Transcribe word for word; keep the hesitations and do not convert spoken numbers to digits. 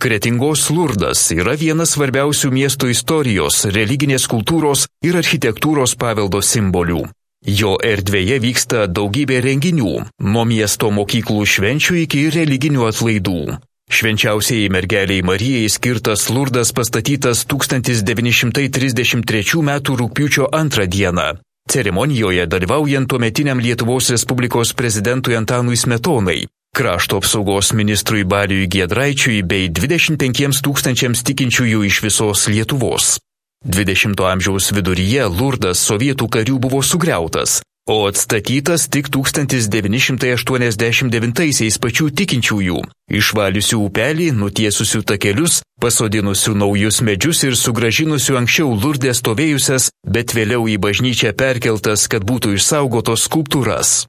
Kretingos Lurdas yra vienas svarbiausių miesto istorijos, religinės kultūros ir architektūros paveldo simbolių. Jo erdvėje vyksta daugybė renginių, nuo miesto mokyklų švenčių iki religinių atlaidų. Švenčiausiai mergeliai Marijai skirtas Lurdas pastatytas tūkstantis devyni šimtai trisdešimt trečių metų rugpjūčio antrą dieną. Ceremonijoje dalyvaujant tuometiniam Lietuvos Respublikos prezidentui Antanui Smetonai, krašto apsaugos ministrui Baliui Giedraičiui bei dvidešimt penkiems tūkstančiams tikinčiųjų iš visos Lietuvos. dvidešimto amžiaus viduryje Lurdas sovietų karių buvo sugriautas, o atstatytas tik tūkstantis devyni šimtai aštuoniasdešimt devintaisiais pačių tikinčiųjų, išvaliusių upelį, nutiesusių takelius, pasodinusių naujus medžius ir sugražinusių anksčiau Lurde stovėjusias, bet vėliau į bažnyčią perkeltas, kad būtų išsaugotos skulptūras.